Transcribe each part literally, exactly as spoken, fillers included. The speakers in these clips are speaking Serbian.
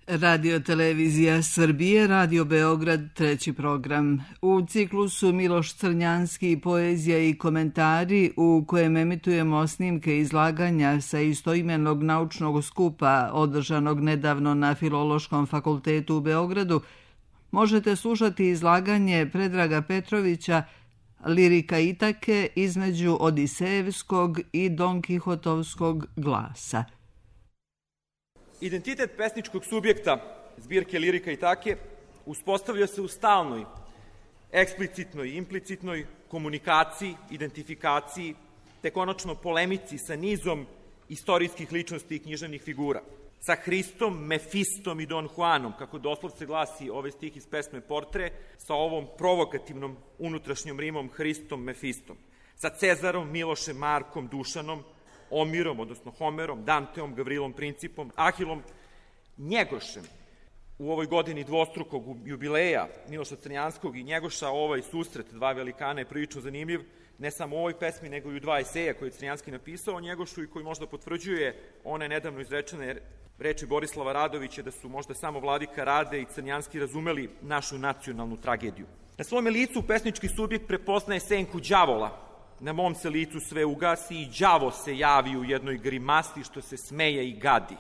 Radio Televizija Srbije, Radio Beograd, treći program. U ciklusu Miloš Crnjanski, poezija i komentari, u kojem emitujemo snimke izlaganja sa istoimenog naučnog skupa održanog nedavno na Filološkom fakultetu u Beogradu, možete slušati izlaganje Predraga Petrovića Lirika Itake između Odisejevskog i Don Kihotovskog glasa. Identitet pesničkog subjekta zbirke Lirika Itake uspostavlja se u stalnoj, eksplicitnoj i implicitnoj komunikaciji, identifikaciji, te konačno polemici sa nizom istorijskih ličnosti i književnih figura. Sa Hristom, Mefistom i Don Juanom, kako doslovce glasi ovaj stih iz pesme Portre, sa ovom provokativnom unutrašnjom rimom Hristom, Mefistom. Sa Cezarom, Milošem, Markom, Dušanom, Omirom, odnosno Homerom, Danteom, Gavrilom Principom, Ahilom, Njegošem. U ovoj godini dvostrukog jubileja Miloša Crnjanskog i Njegoša ovaj susret dva velikana je prilično zanimljiv, ne samo u ovoj pesmi, nego i u dva eseja koje je Crnjanski napisao o Njegošu i koji možda potvrđuje one nedavno izrečene reči Borislava Radovića da su možda samo Vladika Rade i Crnjanski razumeli našu nacionalnu tragediju. Na svome licu pesnički subjekt prepoznaje senku đavola. Na mom se licu sve ugasi i đavo se javi u jednoj grimasi što se smeje i gadi,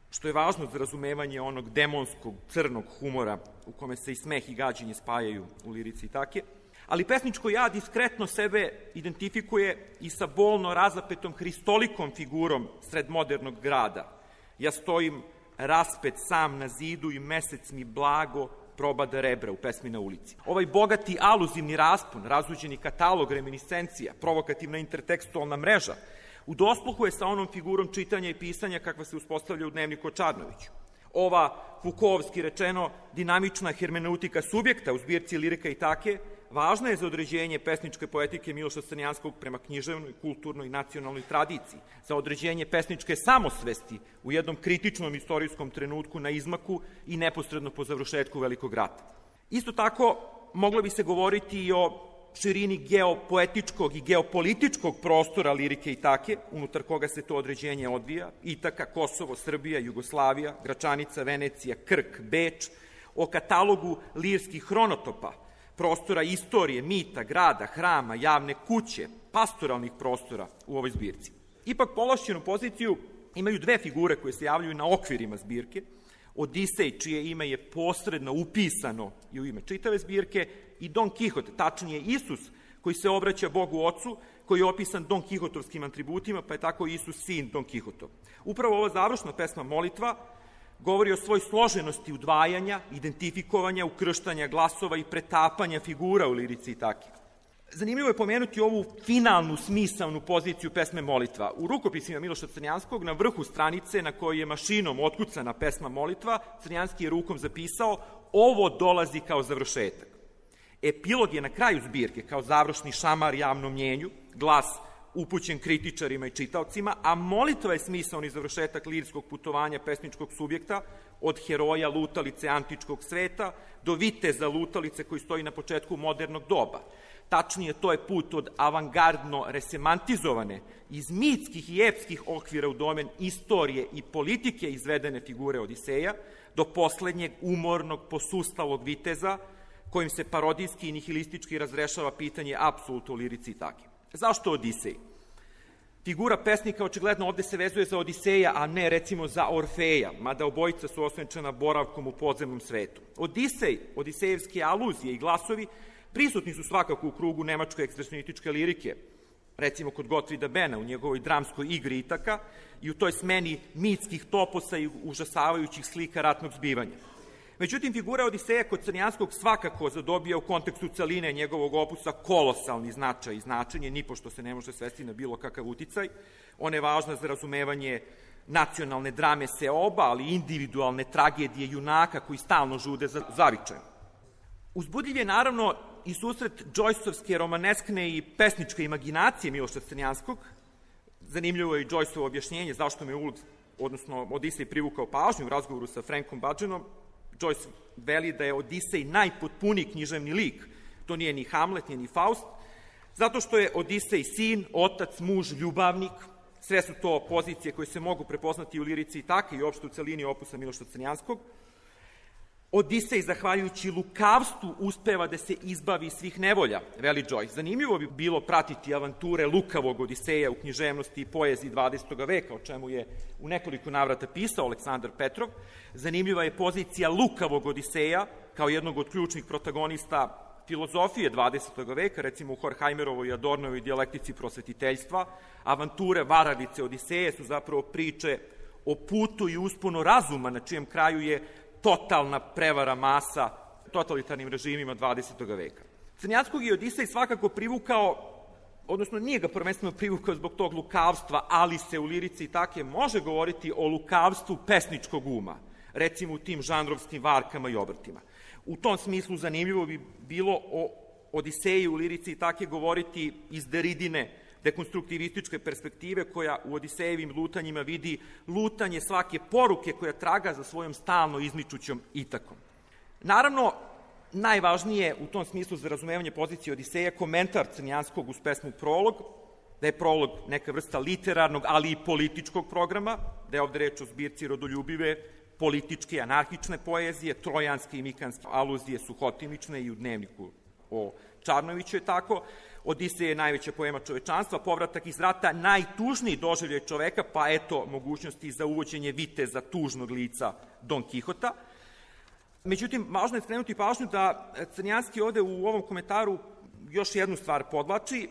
što je važno za razumevanje onog demonskog, crnog humora u kome se i smeh i gađenje spajaju u Lirici Itake. Ali pesničko ja diskretno sebe identifikuje i sa bolno razapetom hristolikom figurom sred modernog grada. Ja stojim raspet sam na zidu i mesec mi blago probada rebra u pesmi Na ulici. Ovaj bogati aluzivni raspon, razuđeni katalog reminiscencija, provokativna intertekstualna mreža, u dosluhu je sa onom figurom čitanja i pisanja kakva se uspostavlja u Dnevniku o Čarnoviću. Ova, Fukovski rečeno, dinamična hermeneutika subjekta u zbirci Lirika Itake važna je za određenje pesničke poetike Miloša Crnjanskog prema književnoj, kulturnoj i nacionalnoj tradiciji, za određenje pesničke samosvesti u jednom kritičnom istorijskom trenutku na izmaku i neposredno po završetku Velikog rata. Isto tako, moglo bi se govoriti i o širini geopoetičkog i geopolitičkog prostora Lirike Itake, unutar koga se to određenje odvija, Itaka, Kosovo, Srbija, Jugoslavija, Gračanica, Venecija, Krk, Beč, o katalogu lirskih hronotopa, prostora istorije, mita, grada, hrama, javne kuće, pastoralnih prostora u ovoj zbirci. Ipak povlašćenu poziciju imaju dve figure koje se javljaju na okvirima zbirke, Odisej, čije ime je posredno upisano i u ime čitave zbirke, i Don Kihot, tačnije Isus, koji se obraća Bogu Ocu, koji je opisan Don Kihotovskim atributima, pa je tako Isus sin Don Kihotov. Upravo ova završna pesma Molitva govori o svoj složenosti udvajanja, identifikovanja, ukrštanja glasova i pretapanja figura u Lirici Itake. Zanimljivo je pomenuti ovu finalnu smisalnu poziciju pesme Molitva. U rukopisima Miloša Crnjanskog na vrhu stranice na kojoj je mašinom otkucana pesma Molitva, Crnjanski je rukom zapisao: ovo dolazi kao završetak. Epilog je na kraju zbirke kao završni šamar javnom mnjenju, glas upućen kritičarima i čitaocima, a molitva je smisaoni završetak lirskog putovanja pesničkog subjekta od heroja lutalice antičkog sveta do viteza lutalice koji stoji na početku modernog doba. Tačnije, to je put od avangardno resemantizovane, iz mitskih i epskih okvira u domen istorije i politike izvedene figure Odiseja, do poslednjeg umornog, posustalog viteza, kojim se parodijski i nihilistički razrešava pitanje apsolutno u Lirici Itake. Zašto Odisej? Figura pesnika očigledno ovde se vezuje za Odiseja, a ne recimo za Orfeja, mada obojica su osvenčena boravkom u podzemnom svetu. Odisej, odisejevske aluzije i glasovi prisutni su svakako u krugu nemačke ekspresionističke lirike, recimo kod Gottfrieda Bena u njegovoj dramskoj igri Itaka i u toj smeni mitskih toposa i užasavajućih slika ratnog zbivanja. Međutim, figura Odiseja kod Crnjanskog svakako zadobija u kontekstu celine njegovog opusa kolosalni značaj i značenje, nipošto se ne može svesti na bilo kakav uticaj. Ona je važna za razumevanje nacionalne drame seoba, ali i individualne tragedije junaka koji stalno žude za zavičajem. Uzbudljiv je naravno i susret Joyceovske romaneskne i pesničke imaginacije Miloša Crnjanskog. Zanimljivo je i Joyceovo objašnjenje zašto me Ulf, odnosno Odisej, privukao pažnju u razgovoru sa Frankom Badgenom. Joyce veli da je Odisej najpotpuniji književni lik. To nije ni Hamlet, nije ni Faust, zato što je Odisej sin, otac, muž, ljubavnik. Sve su to pozicije koje se mogu prepoznati u Lirici Itake i uopšte u celini opusa Miloša Crnjanskog. Odisej, zahvaljujući lukavstvu, uspeva da se izbavi svih nevolja, veli Joyce. Zanimljivo bi bilo pratiti avanture lukavog Odiseja u književnosti i poeziji dvadesetog veka, o čemu je u nekoliko navrata pisao Aleksandar Petrov. Zanimljiva je pozicija lukavog Odiseja kao jednog od ključnih protagonista filozofije dvadesetog veka, recimo u Horkheimerovoj i Adornovoj dijalektici prosvetiteljstva. Avanture varalice Odiseje su zapravo priče o putu i usponu razuma, na čijem kraju je totalna prevara masa totalitarnim režimima dvadesetog veka. Crnjanskog je Odisej svakako privukao, odnosno nije ga prvenstveno privukao zbog tog lukavstva, ali se u lirici i take može govoriti o lukavstvu pesničkog uma, recimo u tim žanrovskim varkama i obrtima. U tom smislu zanimljivo bi bilo o Odiseju u lirici i take govoriti iz Deridine dekonstruktivističke perspektive, koja u Odisejevim lutanjima vidi lutanje svake poruke koja traga za svojom stalno izmičućom Itakom. Naravno, najvažnije u tom smislu za razumevanje pozicije Odiseja je komentar Crnjanskog uz pesmu Prolog, da je prolog neka vrsta literarnog, ali i političkog programa, da je ovde reč o zbirci rodoljubive, političke, anarhične poezije, trojanske i mikanske aluzije su hotimične i u dnevniku o Čarnoviću je tako. Odisej je najveća poema čovečanstva, povratak iz rata najtužniji doživljaj čoveka, pa eto mogućnosti za uvođenje viteza tužnog lica Don Kihota. Međutim, važno je skrenuti pažnju da Crnjanski ovde u ovom komentaru još jednu stvar podlači,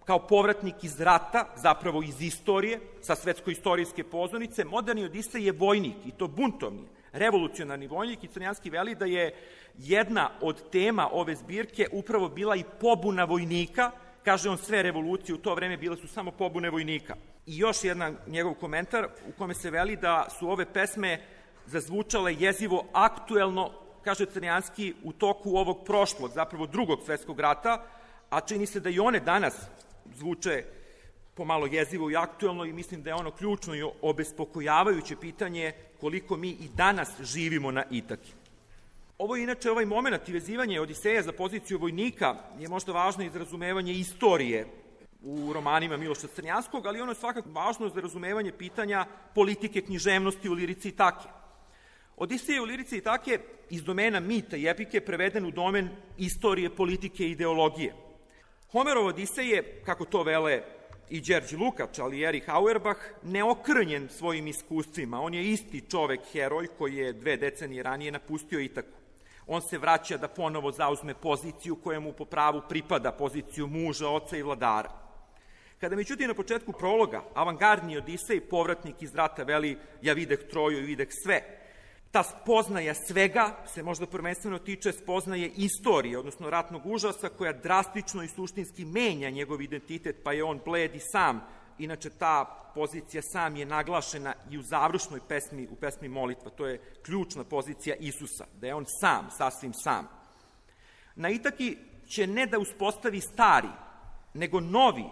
kao povratnik iz rata, zapravo iz istorije, sa svetsko-istorijske pozornice. Moderni Odisej je vojnik, i to buntovni, revolucionarni vojnik, i Crnjanski veli da je jedna od tema ove zbirke upravo bila i pobuna vojnika. Kaže on, sve revolucije u to vreme bile su samo pobune vojnika. I još jedan njegov komentar u kome se veli da su ove pesme zazvučale jezivo aktuelno, kaže Crnjanski, u toku ovog prošlog, zapravo drugog svetskog rata, a čini se da i one danas zvuče pomalo jezivo i aktuelno, i mislim da je ono ključno i obespokojavajuće pitanje koliko mi i danas živimo na Itaki. Ovo je inače ovaj moment i vezivanje Odiseja za poziciju vojnika je možda važno i za razumevanje istorije u romanima Miloša Crnjanskog, ali ono je svakako važno za razumevanje pitanja politike književnosti u lirici i take. Odisej u lirici i take iz domena mita i epike preveden u domen istorije, politike i ideologije. Homerov Odisej je, kako to vele i Đerđ Lukač, ali i Erich Auerbach, neokrnjen svojim iskustvima. On je isti čovek, heroj, koji je dve decenije ranije napustio Itaku. On se vraća da ponovo zauzme poziciju koja mu po pravu pripada, poziciju muža, oca i vladara. Kada međutim na početku prologa avangardni Odisej, povratnik iz rata, veli ja videh Troju i videh sve, ta spoznaja svega se možda prvenstveno tiče spoznaje istorije, odnosno ratnog užasa, koja drastično i suštinski menja njegov identitet, pa je on bled i sam. Inače, ta pozicija sam je naglašena i u završnoj pesmi, u pesmi Molitva. To je ključna pozicija Isusa, da je on sam, sasvim sam. Na Itaki će ne da uspostavi stari, nego novi,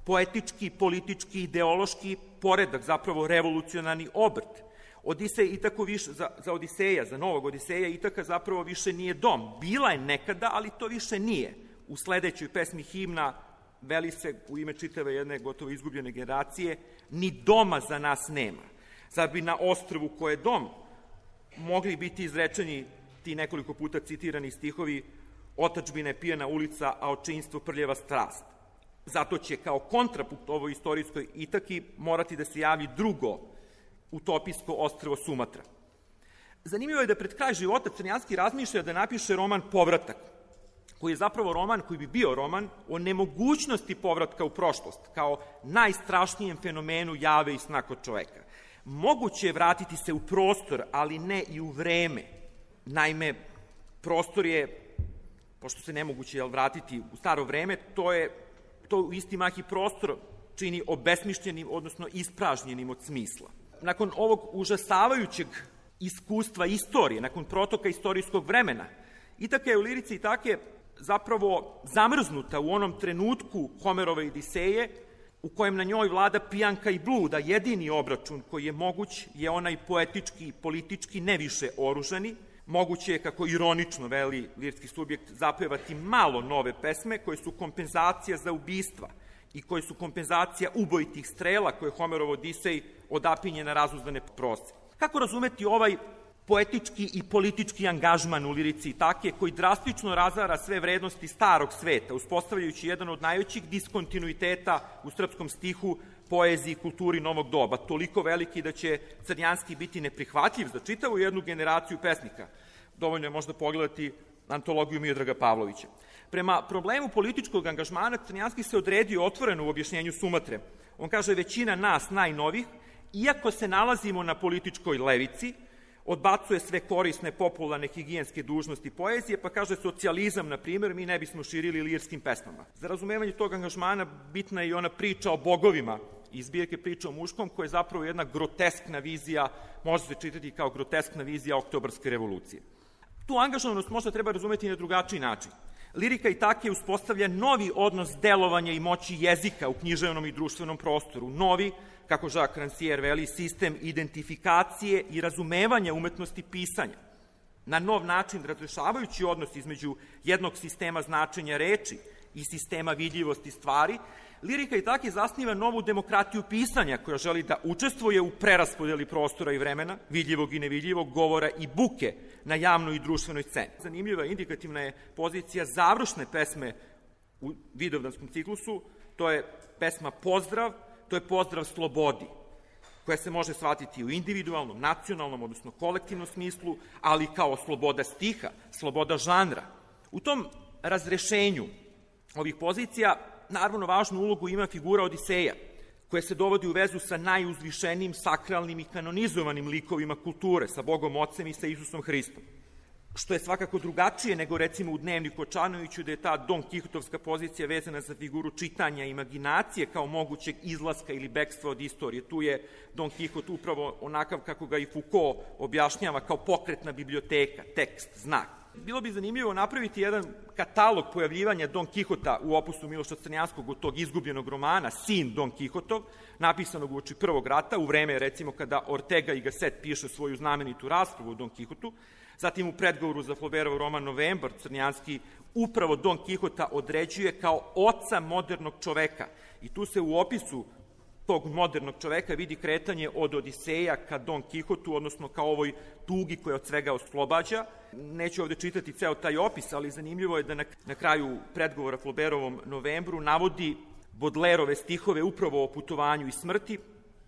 poetički, politički, ideološki poredak, zapravo revolucionarni obrt. Odisej Itaku više, za, za Odiseja, za novog Odiseja, Itaka zapravo više nije dom. Bila je nekada, ali to više nije. U sledećoj pesmi Himna veli se u ime čitave jedne gotovo izgubljene generacije, ni doma za nas nema. Zar bi na ostrvu koje je dom mogli biti izrečeni ti nekoliko puta citirani stihovi otadžbina je pijana ulica, a očinstvo prljeva strast. Zato će kao kontrapunkt ovoj istorijskoj Itaki morati da se javi drugo utopijsko ostrvo Sumatra. Zanimljivo je da pred kraj života Crnjanski razmišlja da napiše roman Povratak, koji je zapravo roman koji bi bio roman o nemogućnosti povratka u prošlost, kao najstrašnijem fenomenu jave i sna kod čoveka. Moguće je vratiti se u prostor, ali ne i u vreme. Naime, prostor je, pošto se nemoguće je vratiti u staro vreme, to je to u isti mah i prostor čini obesmišljenim, odnosno ispražnjenim od smisla. Nakon ovog užasavajućeg iskustva istorije, nakon protoka istorijskog vremena, Itaka je u lirici i take zapravo zamrznuta u onom trenutku Homerove Odiseje, u kojem na njoj vlada pijanka i bluda. Jedini obračun koji je moguć je onaj poetički i politički, ne više oružani. Moguće je, kako ironično veli lirski subjekt, zapevati malo nove pesme koje su kompenzacija za ubistva i koje su kompenzacija ubojitih strela koje Homerov Odisej odapinje na razuzdane prosce. Kako razumeti ovaj poetički i politički angažman u lirici Itake, koji drastično razara sve vrednosti starog sveta, uspostavljajući jedan od najvećih diskontinuiteta u srpskom stihu, poeziji i kulturi novog doba, toliko veliki da će Crnjanski biti neprihvatljiv za čitavu jednu generaciju pesnika. Dovoljno je možda pogledati antologiju Miodraga Pavlovića. Prema problemu političkog angažmana, Crnjanski se odredio otvoreno u objašnjenju Sumatre. On kaže, većina nas najnovih, iako se nalazimo na političkoj levici, odbacuje sve korisne, popularne, higijenske dužnosti poezije, pa kaže socijalizam, na primjer, mi ne bismo širili lirskim pesmama. Za razumevanje tog angažmana bitna je i ona priča o bogovima iz zbirke Priča o muškom, koja je zapravo jedna groteskna vizija, može se čitati kao groteskna vizija Oktobarske revolucije. Tu angažovanost možda treba razumeti na drugačiji način. Lirika Itake uspostavlja novi odnos delovanja i moći jezika u književnom i društvenom prostoru, novi, kako Jacques Rancière veli, sistem identifikacije i razumevanja umetnosti pisanja. Na nov način razrešavajući odnos između jednog sistema značenja reči i sistema vidljivosti stvari, Lirika Itake zasniva novu demokratiju pisanja koja želi da učestvuje u preraspodeli prostora i vremena, vidljivog i nevidljivog, govora i buke na javnoj i društvenoj sceni. Zanimljiva i indikativna je pozicija završne pesme u Vidovdanskom ciklusu, to je pesma Pozdrav, to je pozdrav slobodi, koja se može shvatiti u individualnom, nacionalnom, odnosno kolektivnom smislu, ali kao sloboda stiha, sloboda žanra. U tom razrešenju ovih pozicija naravno važnu ulogu ima figura Odiseja, koja se dovodi u vezu sa najuzvišenijim, sakralnim i kanonizovanim likovima kulture, sa Bogom Ocem i sa Isusom Hristom. Što je svakako drugačije nego recimo u Dnevniku o Čanoviću, da je ta Don Kihotovska pozicija vezana za figuru čitanja i imaginacije kao mogućeg izlaska ili bekstva od istorije. Tu je Don Kihot upravo onakav kako ga i Foucault objašnjava kao pokretna biblioteka, tekst, znak. Bilo bi zanimljivo napraviti jedan katalog pojavljivanja Don Kihota u opusu Miloša Crnjanskog, od tog izgubljenog romana, Sin Don Kihotov, napisanog uoči Prvog rata, u vreme, recimo, kada Ortega y Gasset piše svoju znamenitu raspravu o Don Kihotu. Zatim u predgovoru za Flaubertov roman Novembar, Crnjanski upravo Don Kihota određuje kao oca modernog čoveka. I tu se u opisu tog modernog čoveka vidi kretanje od Odiseja ka Don Kihotu, odnosno ka ovoj tugi koja od svega oslobađa. Neću ovde čitati ceo taj opis, ali zanimljivo je da na, na kraju predgovora Flaubertovom Novembru navodi Baudelaireove stihove upravo o putovanju i smrti.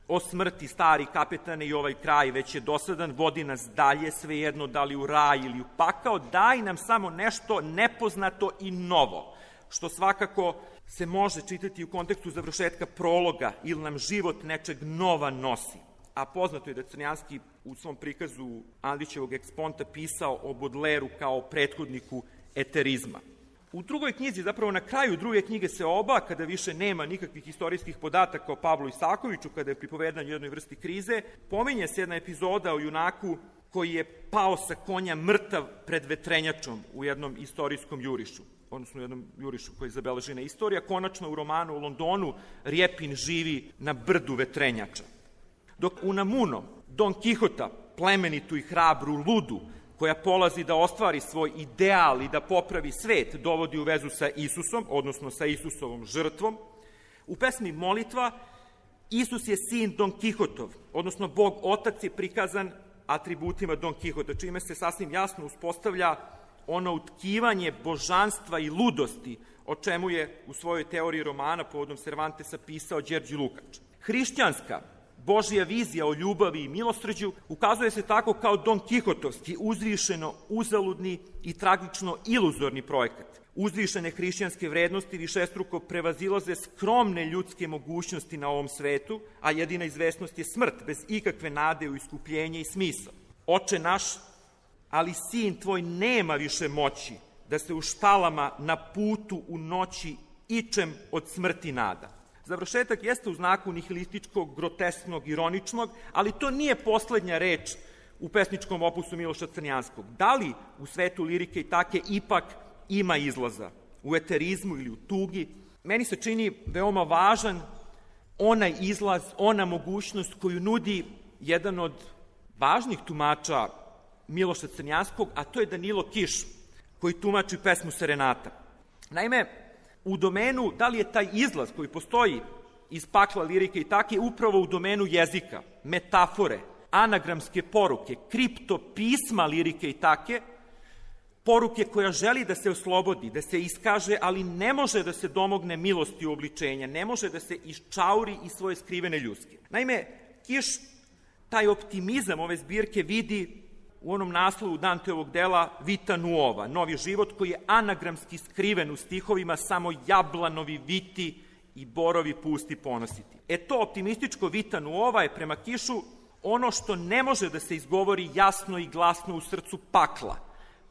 O smrti, stari kapetane, i ovaj kraj već je dosadan, vodi nas dalje, svejedno da li u raj ili u pakao, daj nam samo nešto nepoznato i novo, što svakako se može čitati u kontekstu završetka prologa, ili nam život nečeg nova nosi. A poznato je da Crnjanski u svom prikazu Andrićevog eksponta pisao o Baudelairu kao prethodniku eterizma. U drugoj knjizi, zapravo na kraju druge knjige se oba, kada više nema nikakvih istorijskih podataka o Pavlu Isakoviću, kada je pripovedanje u jednoj vrsti krize, pominje se jedna epizoda o junaku koji je pao sa konja mrtav pred vetrenjačom u jednom istorijskom jurišu, odnosno u jednom jurišu koji je zabeležena istorija. Konačno u romanu u Londonu Rjepin živi na brdu vetrenjača. Dok Unamuno, Don Kihota, plemenitu i hrabru ludu, koja polazi da ostvari svoj ideal i da popravi svet, dovodi u vezu sa Isusom, odnosno sa Isusovom žrtvom. U pesmi Molitva Isus je sin Don Kihotov, odnosno Bog Otac je prikazan atributima Don Kihota, čime se sasvim jasno uspostavlja ono utkivanje božanstva i ludosti, o čemu je u svojoj teoriji romana povodom Cervantesa pisao Đerđi Lukač. Hrišćanska Božja vizija o ljubavi i milosrđu ukazuje se tako kao Don Kihotovski, uzvišeno, uzaludni i tragično iluzorni projekat. Uzvišene hrišćanske vrednosti višestruko prevazilaze skromne ljudske mogućnosti na ovom svetu, a jedina izvesnost je smrt, bez ikakve nade u iskupljenje i smisao. Oče naš, ali sin tvoj nema više moći da se u štalama na putu u noći ičem od smrti nada. Završetak jeste u znaku nihilističkog, grotesknog, ironičnog, ali to nije poslednja reč u pesničkom opusu Miloša Crnjanskog. Da li u svetu lirike Itake ipak ima izlaza u eterizmu ili u tugi? Meni se čini veoma važan onaj izlaz, ona mogućnost koju nudi jedan od važnih tumača Miloša Crnjanskog, a to je Danilo Kiš, koji tumači pesmu Serenata. Naime, u domenu, da li je taj izlaz koji postoji iz pakla lirike Itake upravo u domenu jezika, metafore, anagramske poruke, kriptopisma Lirike Itake, poruke koja želi da se oslobodi, da se iskaže, ali ne može da se domogne milosti uobličenja, ne može da se iščauri iz svoje skrivene ljuske. Naime, Kiš taj optimizam ove zbirke vidi u onom naslovu Danteovog dela Vita Nuova, novi život koji je anagramski skriven u stihovima samo jablanovi viti i borovi pusti ponositi. E to optimističko Vita Nuova je prema Kišu ono što ne može da se izgovori jasno i glasno u srcu pakla,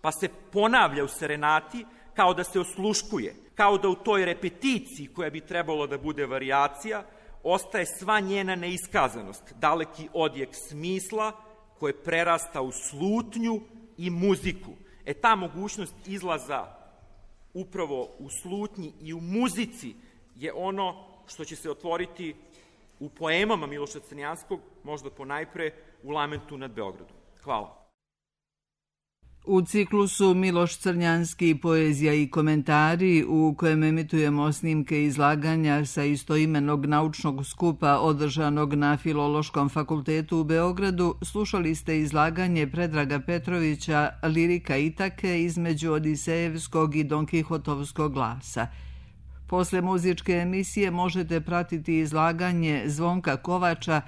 pa se ponavlja u serenati kao da se osluškuje, kao da u toj repeticiji koja bi trebalo da bude varijacija, ostaje sva njena neiskazanost, daleki odjek smisla koje prerasta u slutnju i muziku. E ta mogućnost izlaza upravo u slutnji i u muzici je ono što će se otvoriti u poemama Miloša Crnjanskog, možda ponajpre u Lamentu nad Beogradom. Hvala. U ciklusu Miloš Crnjanski, poezija i komentari, u kojem emitujemo snimke izlaganja sa istoimenog naučnog skupa održanog na Filološkom fakultetu u Beogradu, slušali ste izlaganje Predraga Petrovića Lirika Itake između Odisejevskog i Don Kihotovskog glasa. Posle muzičke emisije možete pratiti izlaganje Zvonka Kovača,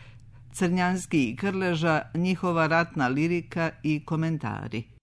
Crnjanski i Krleža, njihova ratna lirika i komentari.